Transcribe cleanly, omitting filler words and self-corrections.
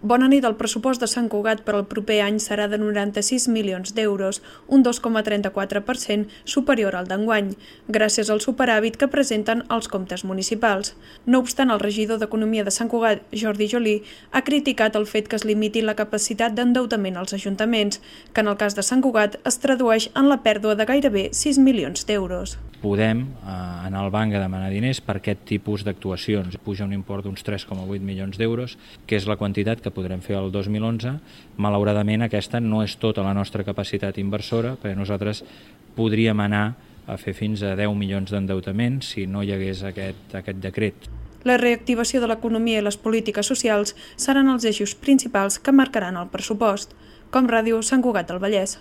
Bona nit, el pressupost de Sant Cugat per al proper any serà de 96 milions d'euros, un 2,34% superior al d'enguany, gràcies al superàvit que presenten els comptes municipals. No obstant, el regidor d'Economia de Sant Cugat, Jordi Jolí, ha criticat el fet que es limiti la capacitat d'endeutament als ajuntaments, que en el cas de Sant Cugat es tradueix en la pèrdua de gairebé 6 milions d'euros. Podem anar al banc a demanar diners per aquest tipus d'actuacions. Puja un import d'uns 3,8 milions d'euros, que és la quantitat que podrem fer el 2011. Malauradament, aquesta no és tota la nostra capacitat inversora, perquè nosaltres podríem anar a fer fins a 10 milions d'endeutament si no hi hagués aquest decret. La reactivació de l'economia i les polítiques socials seran els eixos principals que marcaran el pressupost. Com Ràdio, Sant Cugat del Vallès.